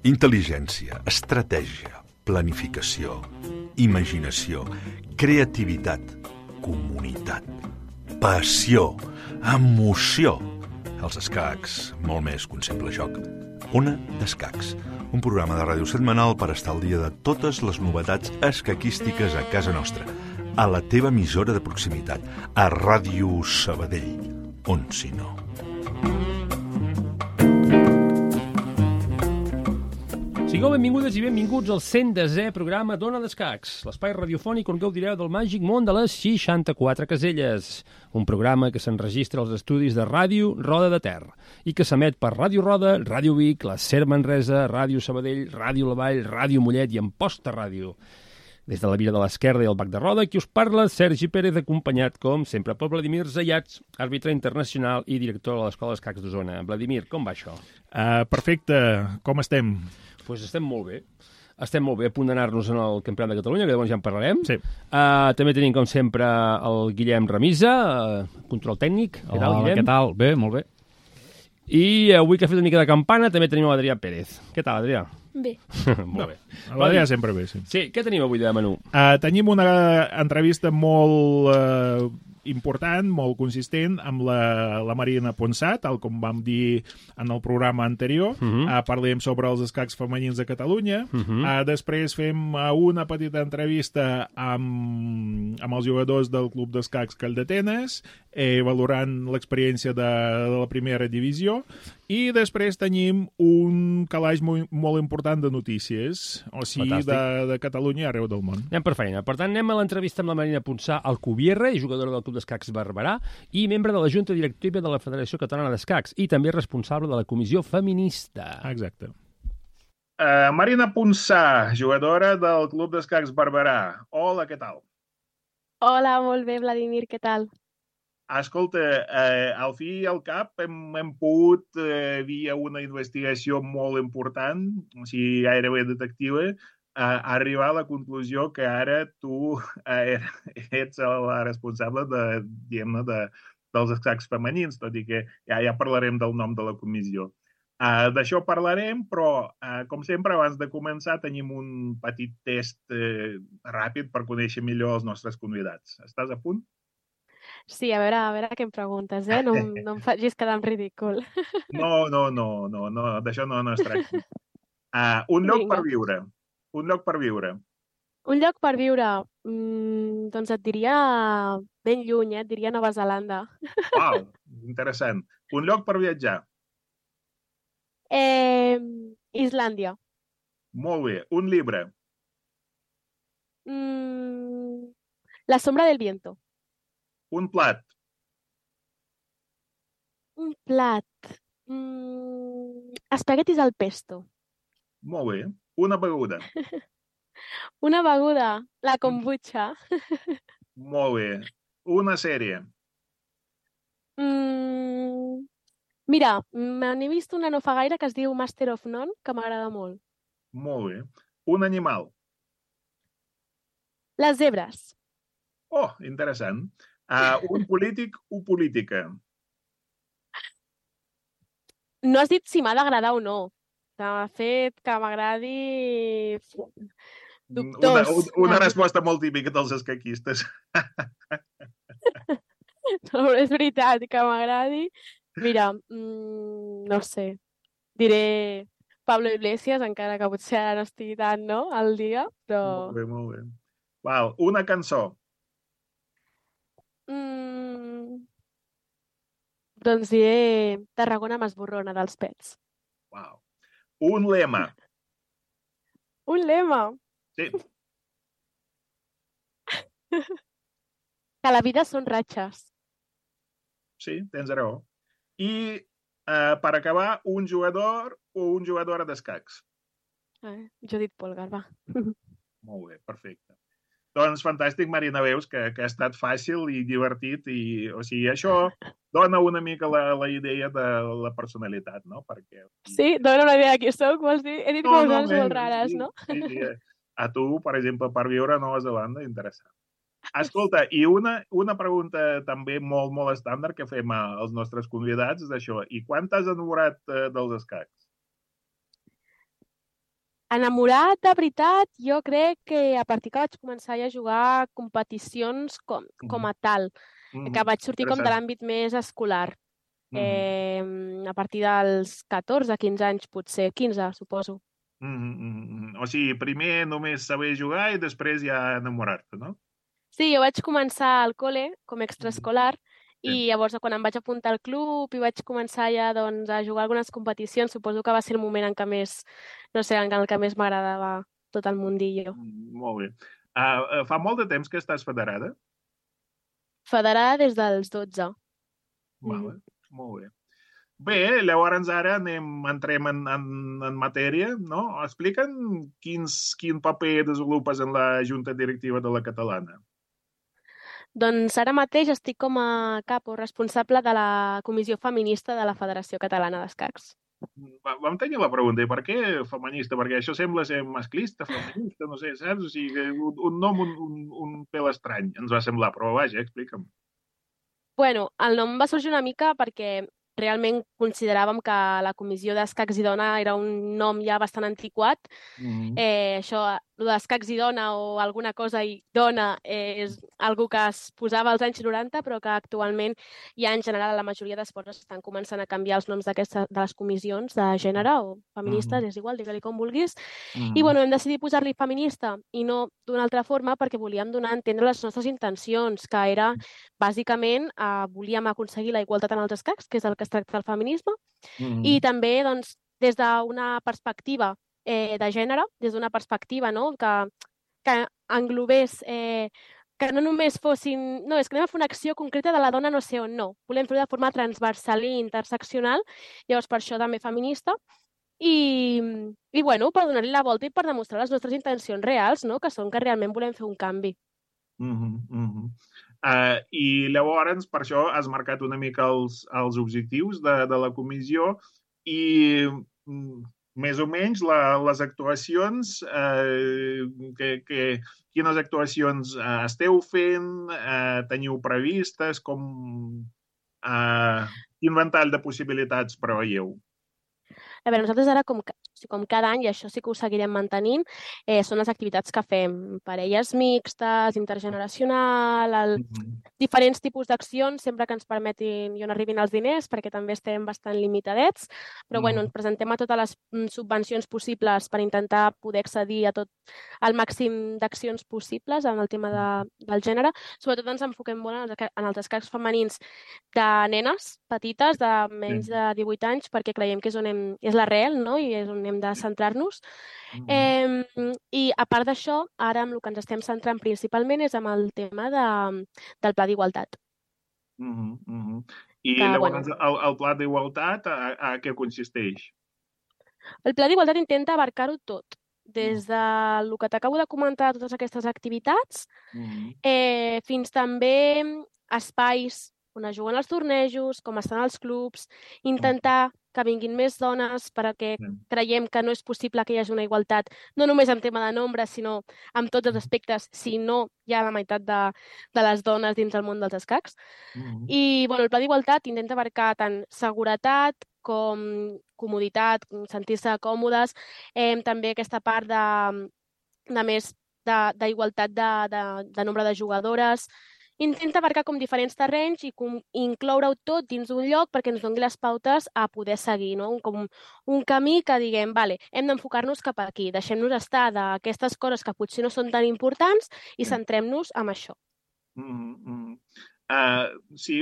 Intel·ligència, estratègia, planificació, imaginació, creativitat, comunitat, passió, emoció. Els escacs, molt més que un simple joc. Ona d'Escacs, un programa de ràdio setmanal per estar al dia de totes les novetats escaquístiques a casa nostra, a la teva emissora de proximitat, a Ràdio Sabadell, on si no. Sigueu benvingudes i benvinguts al 110è programa d'Ona d'Escacs, l'espai radiofònic on gaudireu del màgic món de les 64 caselles, un programa que s'enregistra als estudis de Ràdio Roda de Ter i que s'emet per Ràdio Roda, Ràdio Vic, la Ser Manresa, Ràdio Sabadell, Ràdio La Vall, Ràdio Mollet i Amposta Ràdio. Des de la Vila de l'Esquerda i el Bac de Roda, qui us parla, Sergi Pérez, acompanyat, com sempre, per Vladimir Zayats, àrbitre internacional i director de l'Escola d'Escacs d'Osona. Vladimir, com va això? Perfecte, com estem? Doncs estem molt bé. Estem molt bé a punt d'anar-nos en el Campionat de Catalunya, que llavors ja en parlarem. Sí. També tenim, com sempre, el Guillem Remisa, control tècnic. Què tal, Guillem? Què tal? Bé, molt bé. I avui que ha fet una mica de campana també tenim l'Adrià Pérez. Què tal, Adrià? Bé. Molt bé. L'Adrià sempre bé, sí. Sí, què tenim avui de menú? Tenim una entrevista molt important, molt consistent, amb la Marina Ponsat, tal com vam dir en el programa anterior. Parlem sobre els escacs femenins de Catalunya. Després fem una petita entrevista amb els jugadors del Club d'Escacs Calldetenes, valorant l'experiència de la primera divisió. I després tenim un calaix molt important de notícies, o sigui, de Catalunya i arreu del món. Anem per feina. Per tant, anem a l'entrevista amb la Marina Ponsat Alcubierre, jugadora del Club d'Escacs Barberà i membre de la Junta Directiva de la Federació Catalana d'Escacs i també responsable de la Comissió Feminista. Exacte. Marina Ponsat, jugadora del Club d'Escacs Barberà. Hola, què tal? Hola, molt bé, Vladimir, què tal? Escolta, al fi i al cap hem pogut, via una investigació molt important, o sigui, gairebé detectiva, arribar a la conclusió que ara tu ets la responsable dels escacs femenins, tot i que ja parlarem del nom de la comissió. D'això parlarem, però, com sempre, abans de començar, tenim un petit test ràpid per conèixer millor els nostres convidats. Estàs a punt? Sí, a veure què em preguntes, eh? No em facis quedar en ridícul. No, d'això no es tracta. Un lloc per viure. Un lloc per viure. Un lloc per viure? Doncs et diria ben lluny, et diria Nova Zelanda. Uau, interessant. Un lloc per viatjar. Islàndia. Molt bé. Un llibre. La sombra del viento. Un plat. Un plat. Espaguetis al pesto. Molt bé. Una beguda. Una beguda. La kombucha. Molt bé. Una sèrie. Mira, n'he vist una no fa gaire que es diu Master of None, que m'agrada molt. Molt bé. Un animal. Les zebres. Oh, interessant. Un polític o política. No has dit si m'ha d'agradar o no. De fet, que m'agradi... Dubtós. Una resposta molt típica dels escaquistes. No, és veritat, que m'agradi. Mira, no sé, diré Pablo Iglesias, encara que potser ara no estigui tant, no?, al dia, però... Molt bé. Val, una cançó. Doncs diré Tarragona m'esborrona dels Pets. Uau. Un lema. Un lema? Sí. Que la vida són ratxes. Sí, tens raó. I, per acabar, un jugador o una jugadora d'escacs. Jo he dit Polgar, va. Molt bé, perfecte. Doncs fantàstic, Marina, veus que ha estat fàcil i divertit i, o sigui, això dona una mica la idea de la personalitat, no? Perquè... Sí, dona una idea de qui soc, vols dir? He dit coses molt rares, no? Sí. A tu, per exemple, per viure a Nova Zelanda, interessant. Escolta, i una pregunta també molt, molt estàndard que fem als nostres convidats és això. I quan t'has enamorat dels escacs? Enamorat, de veritat, jo crec que a partir que vaig començar ja a jugar competicions com a tal, que vaig sortir com de l'àmbit més escolar. A partir dels 14, 15 anys, potser, 15, suposo. O sigui, primer només saber jugar i després ja enamorar-te, no? Sí, jo vaig començar al col·le com a extraescolar Sí. i llavors quan em vaig apuntar al club i vaig començar ja doncs, a jugar algunes competicions, suposo que va ser el moment en què més, no sé, en el que més m'agradava tot el mundillo. Molt bé. Fa molt de temps que estàs federada? Federada des dels 12. Vale, molt bé. Bé, llavors ara entrem en matèria, no? Explica'm quin paper desenvolupes en la Junta Directiva de la Catalana. Doncs ara mateix estic com a cap o responsable de la Comissió Feminista de la Federació Catalana d'Escacs. Vam tenir la pregunta, per què feminista? Perquè això sembla ser masclista, feminista, no sé, saps? O sigui, un nom un pèl estrany ens va semblar, però vaja, explica'm. Bueno, el nom va sorgir una mica perquè realment consideràvem que la Comissió d'Escacs i Dona era un nom ja bastant antiquat. Això, el d'escacs i dona o alguna cosa i dona és algo que es posava als anys 90, però que actualment ja en general la majoria d'esports estan començant a canviar els noms de les comissions de gènere o feministes, és igual, digue-li com vulguis. I bueno, hem decidit posar-li feminista i no d'una altra forma perquè volíem donar a entendre les nostres intencions, que era bàsicament volíem aconseguir la igualtat en els escacs, que és el que es tracta del feminisme, i també doncs, des d'una perspectiva de gènere, des d'una perspectiva no? que englobés, que no només fossin... No, és que anem a fer una acció concreta de la dona no sé on, no. Volem fer-ho de forma transversal i interseccional, llavors per això també feminista, i bueno, per donar-li la volta i per demostrar les nostres intencions reals, no? Que són que realment volem fer un canvi. I llavors, per això has marcat una mica els objectius de la comissió i més o menys les actuacions, quines actuacions esteu fent, teniu previstes, quin ventall de possibilitats preveieu? A veure, nosaltres ara, com cada any, i això sí que ho seguirem mantenint, són les activitats que fem. Parelles mixtes, intergeneracional, diferents tipus d'accions, sempre que ens permetin i on arribin els diners, perquè també estem bastant limitadets, però bueno, ens presentem a totes les subvencions possibles per intentar poder accedir a tot el màxim d'accions possibles en el tema del gènere. Sobretot ens enfoquem molt en els escacs femenins de nenes petites, de menys de 18 anys, perquè creiem que és l'arrel, no? I és on hem de centrar-nos. I a part d'això, ara amb el que ens estem centrant principalment és amb el tema del Pla d'Igualtat. I llavors el Pla d'Igualtat a què consisteix? El Pla d'Igualtat intenta abarcar-ho tot, des del que t'acabo de comentar, totes aquestes activitats, fins també espais on es juguen els tornejos, com estan els clubs, intentar que vinguin més dones perquè creiem que no és possible que hi hagi una igualtat, no només en tema de nombre, sinó en tots els aspectes, si no hi ha la meitat de les dones dins del món dels escacs. I bueno, el Pla d'Igualtat intenta abarcar tant seguretat com comoditat, sentir-se còmodes, també aquesta part de més d'igualtat de nombre de jugadores. Intenta abarcar com diferents terrenys i incloure-ho tot dins d'un lloc perquè ens doni les pautes a poder seguir, no? Com un camí que diguem, vale, hem d'enfocar-nos cap aquí, deixem-nos estar d'aquestes coses que potser no són tan importants i centrem-nos en això. Sí,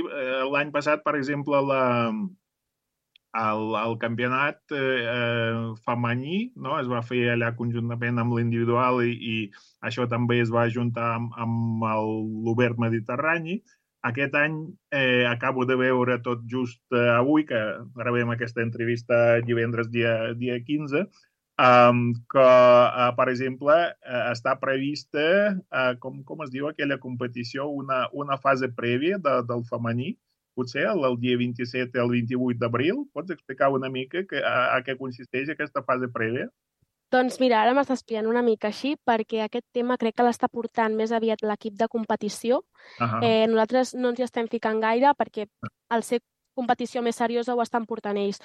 l'any passat, per exemple, el campionat femení, no? Es va fer allà conjuntament amb l'individual i això també es va ajuntar amb l'Obert Mediterrani. Aquest any acabo de veure tot just avui, que rebem aquesta entrevista divendres dia 15, que, per exemple, està prevista, com es diu aquella competició, una fase prèvia del femení, potser el dia 27 al 28 d'abril. Pots explicar una mica a què consisteix aquesta fase prèvia? Doncs mira, ara m'estàs explicant una mica així, perquè aquest tema crec que l'està portant més aviat l'equip de competició. Nosaltres no ens hi estem ficant gaire, perquè al ser competició més seriosa ho estan portant ells.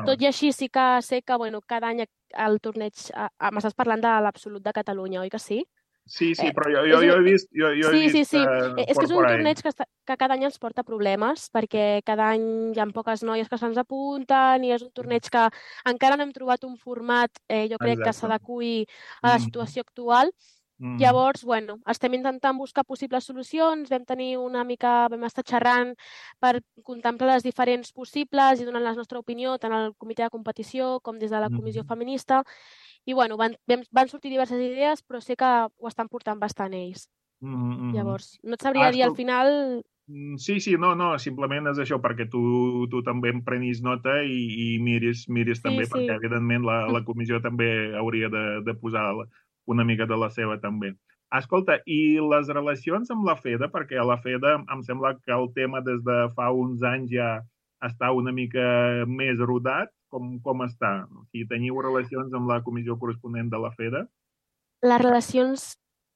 Tot i així sí que sé que bueno, cada any el torneig... M'estàs parlant de l'Absolut de Catalunya, oi que sí? Sí, però jo he vist Sí. És que és un por ahí. torneig que cada any ens porta problemes, perquè cada any hi ha poques noies que se'ns apunten i és un torneig que encara no hem trobat un format, jo crec que s'adequi a la situació actual. Llavors, bueno, estem intentant buscar possibles solucions, vam estar xerrant per contemplar les diferents possibles i donant la nostra opinió tant al comitè de competició com des de la comissió feminista. I bueno, van sortir diverses idees, però sé que ho estan portant bastant ells. Llavors, no et sabria dir al final... Sí, no, simplement és això, perquè tu també en prenis nota i miris també, perquè evidentment la comissió també hauria de posar una mica de la seva també. Escolta, i les relacions amb la FEDA, perquè a la FEDA em sembla que el tema des de fa uns anys ja està una mica més rodat. Com està? O sigui, teniu relacions amb la comissió corresponent de la FEDA? Les relacions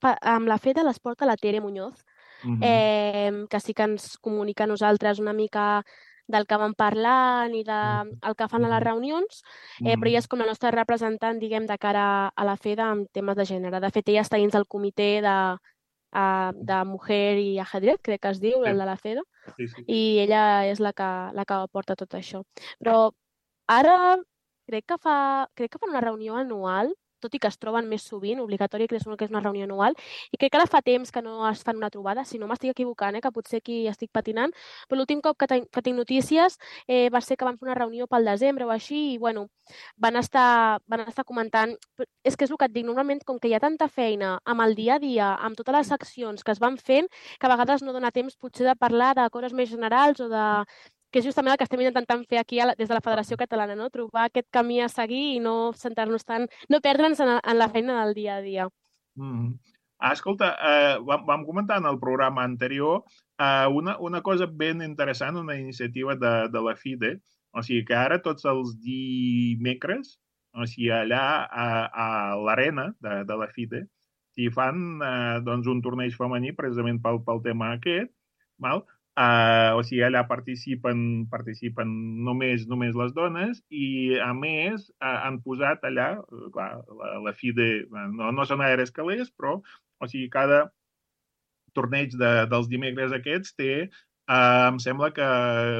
amb la FEDA les porta la Tere Muñoz, que sí que ens comunica a nosaltres una mica del que van parlant i del que fan a les reunions, però ella és com la nostra representant, diguem, de cara a la FEDA en temes de gènere. De fet, ella està dins del comitè de Mujer i Ajedrez, crec que es diu, el de la FEDA, i ella és la que porta tot això. Però ara crec que fan una reunió anual, tot i que es troben més sovint, obligatori que és una reunió anual, i crec que ara fa temps que no es fan una trobada, si no m'estic equivocant, que potser aquí estic patinant, però l'últim cop que tinc notícies va ser que van fer una reunió pel desembre o així, i bueno, van estar comentant... És que és el que et dic, normalment com que hi ha tanta feina amb el dia a dia, amb totes les accions que es van fent, que a vegades no dona temps potser de parlar de coses més generals o de... que és justament el que estem intentant fer aquí des de la Federació Catalana, no? Trobar aquest camí a seguir i no centrar-nos tant, no perdre'ns en la feina del dia a dia. Escolta, vam comentar en el programa anterior una cosa ben interessant, una iniciativa de la FIDE, o sigui que ara tots els dimecres, o sigui, allà a l'arena de la FIDE, s'hi fan un torneig femení precisament pel tema aquest, val? O sigui, allà participen només les dones i, a més, han posat allà, clar, la FIDE, no són aeres calés, però, o sigui, cada torneig dels dimecres aquests té, em sembla que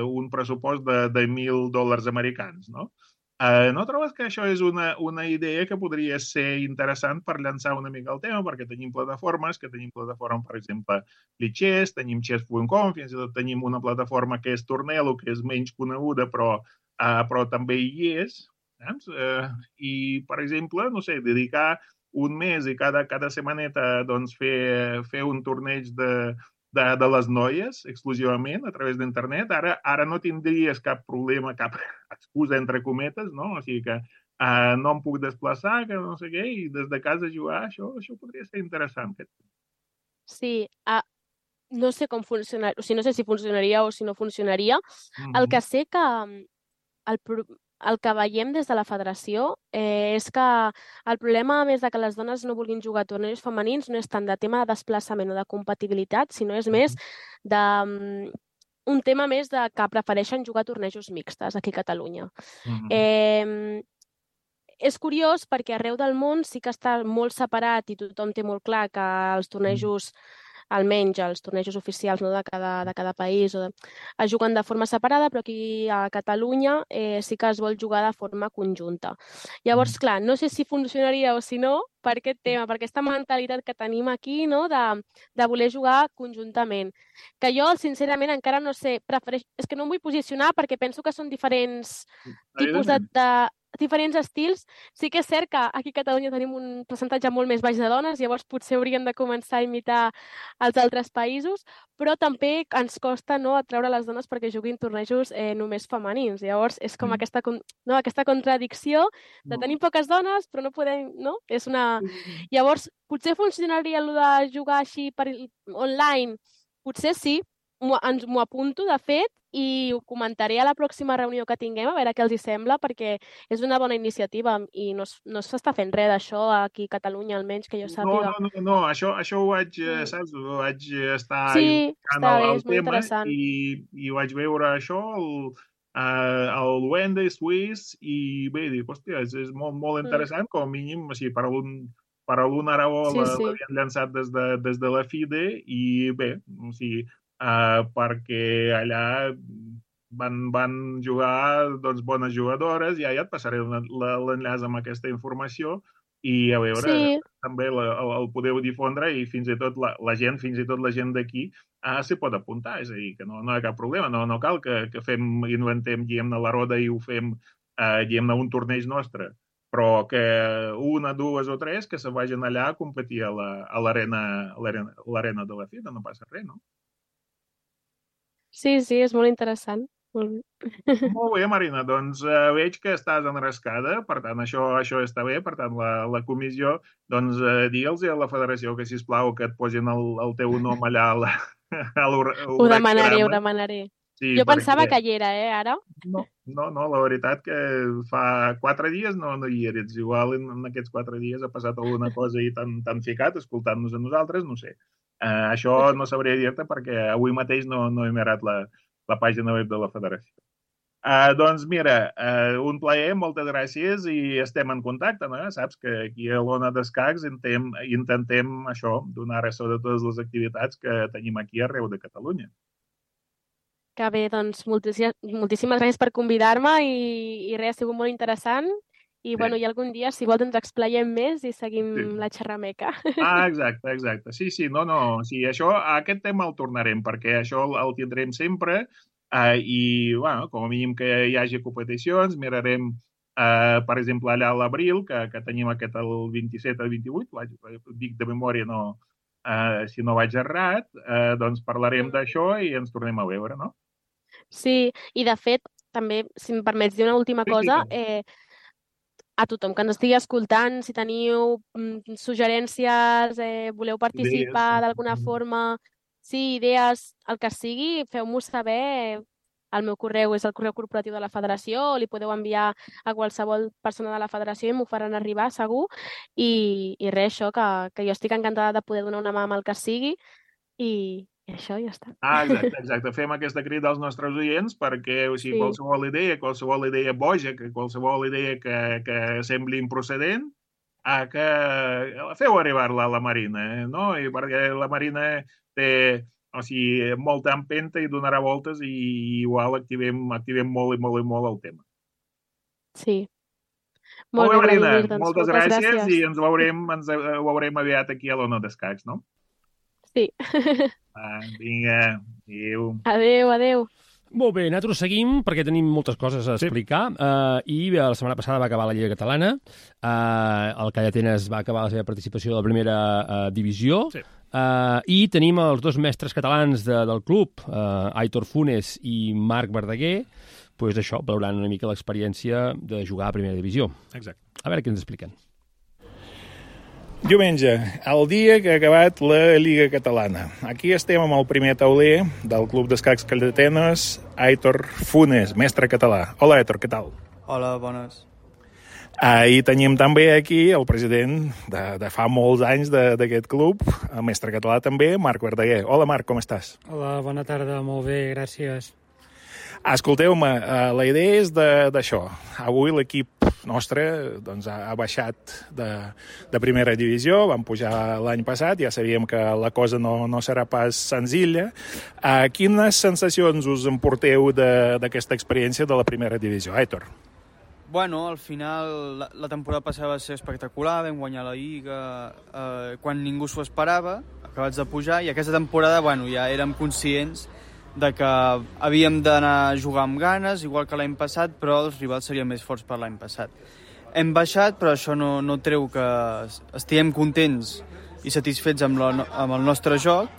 un pressupost de $1.000 americans, no? No trobes que això és una idea que podria ser interessant per llançar una mica el tema, perquè tenim plataformes, per exemple, Lichess, tenim chess.com, fins i tot tenim una plataforma que és Tornelo, que és menys coneguda, però també hi és. I, per exemple, no sé, dedicar un mes i cada setmaneta doncs, fer un torneig de les noies exclusivament a través d'internet. Ara no tindries cap problema, cap excusa entre cometes, no? O sigui que no em puc desplaçar, que no sé què, i des de casa jugar, això podria ser interessant. Sí, no sé com funcionaria, o sigui, no sé si funcionaria o si no funcionaria. El que sé que el que veiem des de la federació és que el problema, a més de que les dones no vulguin jugar a tornejos femenins, no és tant de tema de desplaçament o de compatibilitat, sinó és més un tema més de que prefereixen jugar a tornejos mixtes aquí a Catalunya. És curiós perquè arreu del món sí que està molt separat i tothom té molt clar que els tornejos, almenys els tornejos oficials, no, de cada país es juguen de forma separada, però aquí a Catalunya sí que es vol jugar de forma conjunta. Llavors, clar, no sé si funcionaria o si no per aquest tema, per aquesta mentalitat que tenim aquí, no, de voler jugar conjuntament. Que jo, sincerament, encara no sé, és que no em vull posicionar perquè penso que són diferents tipus diferents estils. Sí que és cert que aquí a Catalunya tenim un percentatge molt més baix de dones, llavors potser hauríem de començar a imitar els altres països, però també ens costa atreure les dones perquè juguin tornejos només femenins. Llavors és com aquesta contradicció de tenir poques dones, però no podem, no? Llavors, potser funcionaria el de jugar així online? Potser sí, m'ho apunto, de fet, i ho comentaré a la pròxima reunió que tinguem, a veure què els hi sembla, perquè és una bona iniciativa i no s'està fent res d'això aquí a Catalunya, almenys que jo sàpiga. No, això ho vaig, saps? Ho vaig estar sí, buscant el és molt tema interessant. i vaig veure això, el Wende Swiss, i bé, dic, hòstia, és molt, molt interessant, com a mínim, així, per algun Aragó l'havien llançat des de la FIDE, i bé, o sigui, perquè allà van jugar doncs, bones jugadores, ja et passaré l'enllaç amb aquesta informació, i a veure, també el podeu difondre i fins i tot la gent d'aquí s'hi pot apuntar, és a dir, que no hi ha cap problema, no cal que inventem, diguem-ne, la roda i ho fem, diguem-ne, un torneig nostre, però que una, dues o tres que se vagin allà a competir a l'arena de la FIDE, no passa res, no? Sí, és molt interessant. Molt bé, Marina, doncs veig que estàs enrascada, per tant això està bé, per tant la comissió, doncs digue'ls a la federació que sisplau que et posin el teu nom allà a l'organigrama. Ho demanaré. Sí, jo pensava que hi era, ara? No, la veritat que fa 4 dies no hi eres. Igual en aquests 4 dies ha passat alguna cosa i t'han ficat escoltant-nos a nosaltres, no sé. Això no sabria dir-te perquè avui mateix no he mirat la pàgina web de la federació. Doncs mira, un plaer, moltes gràcies i estem en contacte, no? Saps que aquí a l'Ona d'Escacs intentem això, donar ressò de totes les activitats que tenim aquí arreu de Catalunya. Que bé, doncs moltíssimes gràcies per convidar-me i res, ha sigut molt interessant. I bueno, i algun dia, si vols, ens explayem més i seguim la xerrameca. Exacte. Sí, no, sí, aquest tema el tornarem, perquè això el tindrem sempre i, bueno, com a mínim que hi hagi competicions, mirarem, per exemple, allà a l'abril, que tenim aquest el 27 al 28, dic de memòria, si no vaig errat, doncs parlarem d'això i ens tornem a veure, no? Sí, i de fet, també, si em permets dir una última cosa, a tothom que ens estigui escoltant, si teniu suggerències, voleu participar d'alguna forma, idees, el que sigui, feu-m'ho saber. El meu correu és el correu corporatiu de la federació, li podeu enviar a qualsevol persona de la federació i m'ho faran arribar, segur. I res, això, que jo estic encantada de poder donar una mà amb el que sigui i això ja està. Exacte. Fem aquesta crida als nostres oients perquè qualsevol idea boja, qualsevol idea que sembli improcedent, que feu arribar-la a la Marina, no? I perquè la Marina té molta empenta i donarà voltes i igual activem molt el tema. Sí. Molt bé, Marina, moltes gràcies i ens ho veurem aviat aquí a l'Ona d'Escacs, no? Sí. Vinga, adéu. Adéu. Molt bé, nosaltres seguim perquè tenim moltes coses a explicar i la setmana passada va acabar la Lliga Catalana, el Calla Atenes va acabar la seva participació a la primera divisió i tenim els dos mestres catalans del club, Aitor Funes i Marc Verdaguer, doncs això, valorant una mica l'experiència de jugar a primera divisió. Exacte. A veure què ens expliquen. Diumenge, el dia que ha acabat la Lliga Catalana. Aquí estem amb el primer tauler del Club d'Escacs Calla Atenes, Aitor Funes, mestre català. Hola, Aitor, què tal? Hola, bones. I tenim també aquí el president de fa molts anys d'aquest club, el mestre català també, Marc Verdaguer. Hola, Marc, com estàs? Hola, bona tarda, molt bé, gràcies. Escolteu-me, la idea és d'això. Avui l'equip nostre ha baixat de primera divisió, vam pujar l'any passat, ja sabíem que la cosa no serà pas senzilla. Quines sensacions us emporteu d'aquesta experiència de la primera divisió, Aitor? Bueno, al final la temporada passada va ser espectacular, vam guanyar la Lliga quan ningú s'ho esperava, acabats de pujar, i aquesta temporada ja érem conscients de que havíem d'anar a jugar amb ganes, igual que l'any passat, però els rivals serien més forts per l'any passat. Hem baixat, però això no treu que estiguem contents i satisfets amb el nostre joc,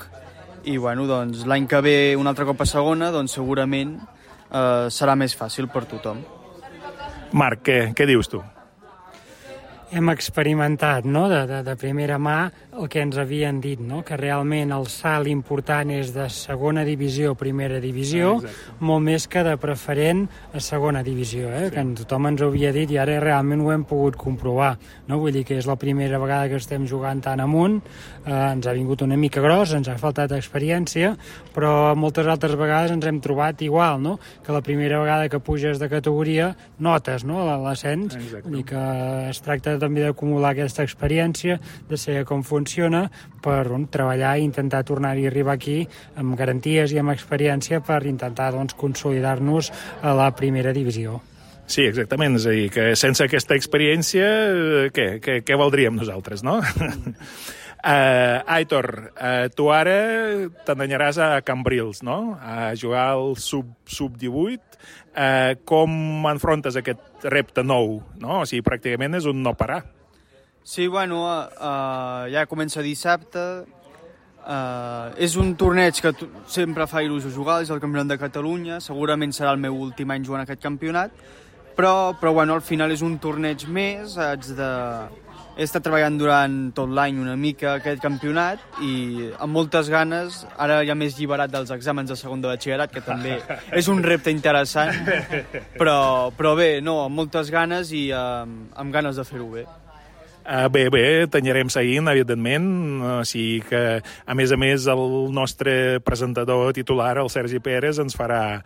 i doncs l'any que ve un altre cop a segona, doncs segurament serà més fàcil per tothom. Marc, què dius tu? hem experimentat, no?, de primera mà el que ens havien dit, no?, que realment el salt important és de segona divisió a primera divisió, molt més que de preferent a segona divisió, que tothom ens ho havia dit i ara realment ho hem pogut comprovar, no? Vull dir que és la primera vegada que estem jugant tan amunt, ens ha vingut una mica gros, ens ha faltat experiència, però moltes altres vegades ens hem trobat igual, no?, que la primera vegada que puges de categoria notes, no?, l'ascens, vull dir que es tracta també d'acumular aquesta experiència, de saber com funciona, per treballar i intentar tornar-hi a arribar aquí amb garanties i amb experiència per intentar consolidar-nos a la primera divisió. Sí, exactament, és a dir, que sense aquesta experiència, què valdríem nosaltres, no? Aitor, tu ara t'endanyaràs a Cambrils, no?, a jugar al sub-18. Com enfrontes aquest repte nou, no? O sigui, pràcticament és un no parar. Sí, bueno, ja comença dissabte. És un torneig que sempre fa il·lusió jugar, és el Campionat de Catalunya. Segurament serà el meu últim any jugant aquest campionat. Però bueno, al final és un torneig més. He estat treballant durant tot l'any una mica aquest campionat i amb moltes ganes, ara ja m'he alliberat dels exàmens de segon de batxillerat, que també és un repte interessant, però bé, no, amb moltes ganes i amb ganes de fer-ho bé. Bé, t'anirem seguint, evidentment, o sigui que, a més, el nostre presentador titular, el Sergi Pérez, ens farà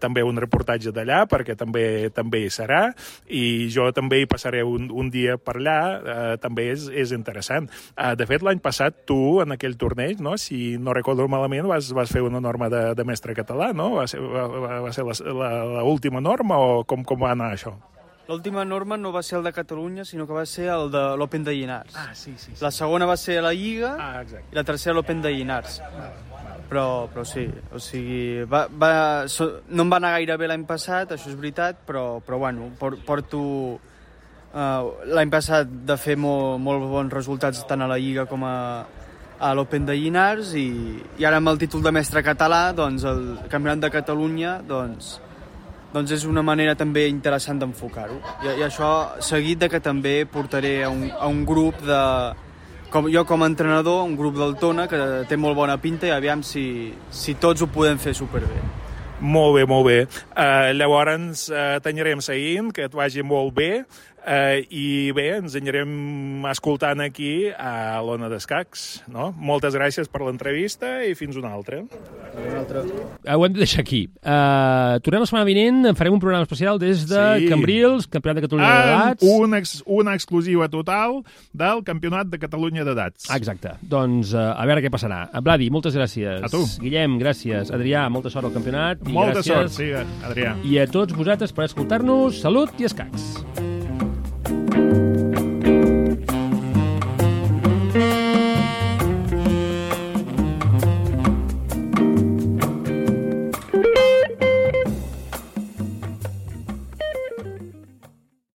també un reportatge d'allà, perquè també hi serà, i jo també hi passaré un dia per allà, també és interessant. De fet, l'any passat tu, en aquell torneig, no, si no recordo malament, vas fer una norma de mestre català, no? Va ser l'última norma o com va anar això? L'última norma no va ser el de Catalunya, sinó que va ser el de l'Open de Llinars. Sí. La segona va ser la Lliga i la tercera l'Open de Llinars. Però sí, o sigui, no em va anar gaire bé l'any passat, això és veritat, però bueno, porto l'any passat de fer molt bons resultats tant a la Lliga com a l'Open de Llinars i ara amb el títol de mestre català, doncs el Campionat de Catalunya, doncs és una manera també interessant d'enfocar-ho. I això seguit de que també portaré a un grup jo com a entrenador, un grup del Tona que té molt bona pinta i aviam si tots ho podem fer superbé. Molt bé. Llavors t'anirem seguint, que et vagi molt bé. I bé, ens anirem escoltant aquí a l'Ona d'Escacs, no? Moltes gràcies per l'entrevista i fins una altra. Ho hem de deixar aquí. Tornem la setmana vinent, farem un programa especial des de Cambrils, Campionat de Catalunya d'Edats. Una exclusiva total del Campionat de Catalunya d'Edats. Exacte. Doncs a veure què passarà. Vladi, moltes gràcies. A tu. Guillem, gràcies. Adrià, molta sort al campionat. Molta sort, sí, Adrià. I a tots vosaltres per escoltar-nos. Salut i escacs.